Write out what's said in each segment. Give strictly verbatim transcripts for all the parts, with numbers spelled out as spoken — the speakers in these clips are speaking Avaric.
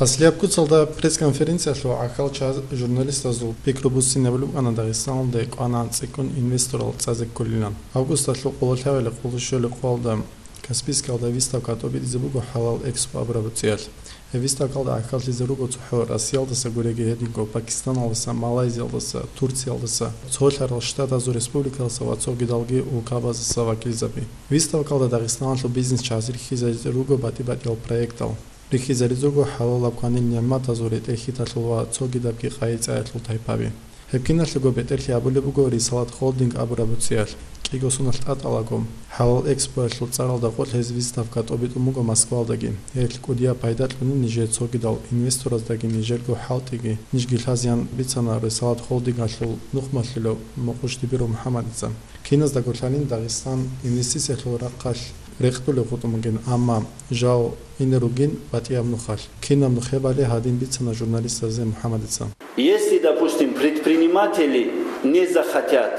Аслияб куцалда пресс-конференциялъул гӀахьалчагӀаз журналистазул пикру буссинабулеб букӀана Дагъистаналде кӀванагӀан цӀикӀкӀун инвесторал цӀазе кколилан. Августалъул къоло лъабилеб къоло щолеб къоялда Каспийскалда выставка тӀобитӀизе буго ХӀалал Экспо абураб цӀиялъ. Гьеб выставкалда гӀахьаллъизе руго цохӀо Россиялдаса гуреги гьединго Пакистаналдаса, Малайзиялдаса, Турциялдаса, Цолъарал Штатазул Республикалдаса ва цогидалги улкабаздаса вакилзаби. Выставкалда Дагъистаналъул бизнесчагӀаз рихьизаризе руго батӀи-батӀиял проектал. Рихьизаризе руго хӀалалаб кванил нигӀматазул ретӀел-хьиталъул ва цогидабги къайи-цӀаялъул тайпаби. Гьеб киналъего бетӀерлъи гьабулеб буго Рисалат Холдинг абураб цӀиялъ. КӀиго соналъ тӀатӀалаго, ХӀалал Экспоялъул цӀаралда къо гьез выставка тӀобитӀун буго Москвалдаги. Гьелъ кӀудияб пайда кьуни нижее цогидал инвестораздаги нижерго хӀалтӀиги, нижги лъазеян бицана Рисалат Холдингалъул нухмалъулев Мукъуш Дибиров МухӀаммадица. Киназдаго лъалин Дагъистан инвестициялъул рахъалъ рекъдулев хутӀун бугин, амма жал ине ругин батӀияб нухалъ. Кинаб нухебали гьадин бицана журналистазе МухӀаммадица. Если, допустим, предприниматели не захотят.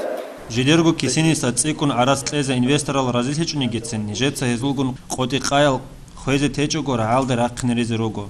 Жидерго кисиниса цӀикӀкӀун гӀарац кьезе инвесторал разилъичӀонигицин, нижеца гьезулгун къотӀи-къаял хвезе течӀого рагӀалде рахъинаризе руго.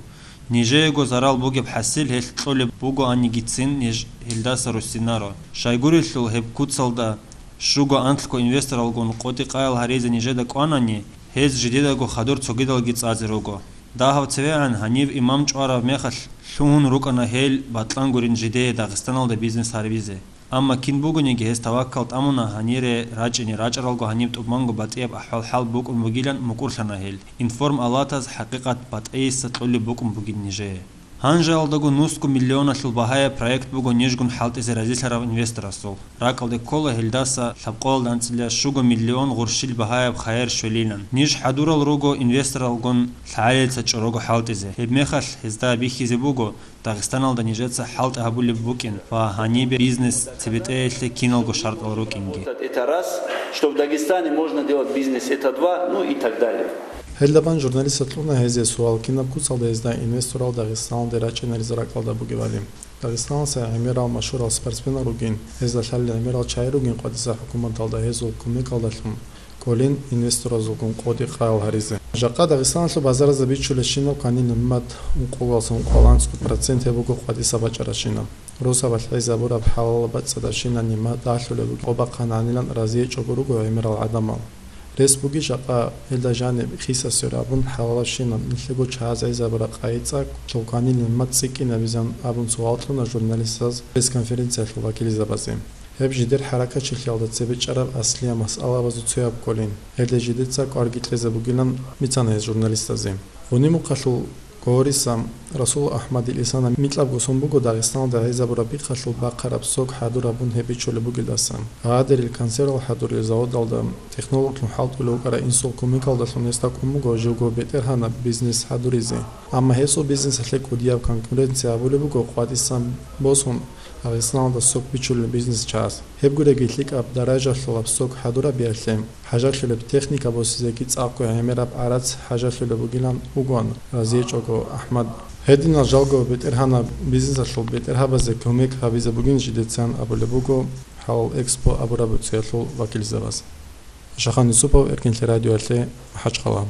Нижеего зарал бугеб хӀасил гьелъ кьолеб бугоанигицин, ниж гьелдаса руссинаро. Щайгурелъул гьеб куцалда щуго-анлъго инвесторалгун къотӀи-къаял гьаризе нижеда кӀванани, гьез жидедаго хадур цогидалги цӀазе руго. Дагьав цевегӀан гьанив имам чӀвараб мехалъ лъугьун рукӀана гьел бакьан гурин жидее Дагъистаналда бизнес гьарбизе. Амма кин бугониги гьес таваккал тӀамуна гьанире рачӀине, рачӀаралго гьаниб тӀубанго батӀияб ахӀвал-хӀал букӀун бугилан мукӀурлъана гьел. Информ-алатаз хӀакъикъат батӀейиса кьолеб букӀун бугин нижее. Гьанжеялдаго нусго миллионалъул багьаяб проект буго нижгун хӀалтӀизе разилъарав инвесторасул. РакӀалде ккола гьелдаса лъабкъоялда анцӀила щуго миллион гъурщил багьаяб хайир щвелилан. Ниж хӀадурал руго инвесторалгун лъагӀалица чӀорого хӀалтӀизе. Гьебмехалъ гьезда бихьизе буго, Дагъистаналда нижеца хӀалтӀи гьабулеб букӀин ва гьанибе бизнес цебетӀеялъе киналго шартӀал рукӀинги. Это раз, что в Дагестане можно делать бизнес, это два, ну и так далее. Гьелдабан журналистас кьуна гьезие суал, кинаб куцалда гьезда инвесторал Дагъистаналде рачӀинаризе ракӀалда бугебали. Дагъистаналдаса гӀемерал машгьурал спортсменал ругин, гьезда лъалел гӀемерал чагӀи ругин къватӀиса хӀукуматалда гьезул кумекалдалъун кколин инвесторазулгун къотӀи-къаял гьаризе. Жакъа Дагъистаналъул базаразда бичулебщинаб кванил нигӀмат ункъоялдаса ункъоялда анцӀго процент гьеб буго къватӀиса бачӀарабщинаб. Росабалъ гӀезабураб хӀалалаб бацӀцӀадабщинаб нигӀмат далъулеб бугеб къо бахъана гьанилан разие чӀого руго гӀемерал гӀадамал. Рес бугищ жакъа гьелда жаниб хиса-сверабун хӀалалабщинаб нилъего чагӀаз гӀезабураб къайи-цӀа, гьел кванил нигӀмат цӀикӀкӀинабизан абун суал кьуна журналистаз пресс-конференциялъул вакилзабазе. Гьеб жидер хӀаракатчилъиялда цебе чӀараб аслияб масъалабазул цояб кколин, гьелде жидеца кӀварги кьезе бугилан бицана гьез журналистазе. Гъуни-Мухъалъул Гъориса Расул АхӀмадил Исана микьабго сон буго Дагъистаналда гӀезабураб бихъалъул бахъараб сок хӀадур гьабун гьеб бичулеб бугелдасан. Агьадерил консервал хӀадурил заводалда технологлъун хӀалтӀулев вукӀарав инсул кумекалдалъун гьесда кӀун буго живго бетӀергьанаб бизнес хӀадуризе. Амма гьесул бизнесалъе кӀудияб конкуренция гьабулеб буго къватӀисан босун Дагъистаналда сок бичулел бизнесчагӀаз. Гьеб гуреги лъикӀаб даражалъулаб сок хӀадурабиялъе хӀажалъулеб техника босизеги цӀакъго гӀемераб гӀарац хӀажалъулеб бугилан вугоан разиечӀого АхӀмад. Гьединал жалго бетӀергьанаб бизнесалъул бетӀергьабазе кумек гьабизе бугин жидецан абулеб буго ХӀалал Экспо абураб цӀиялъул вакилзабаз. Шахан Юсупов, Эркинлъи радиоялъе, МахӀачхъала.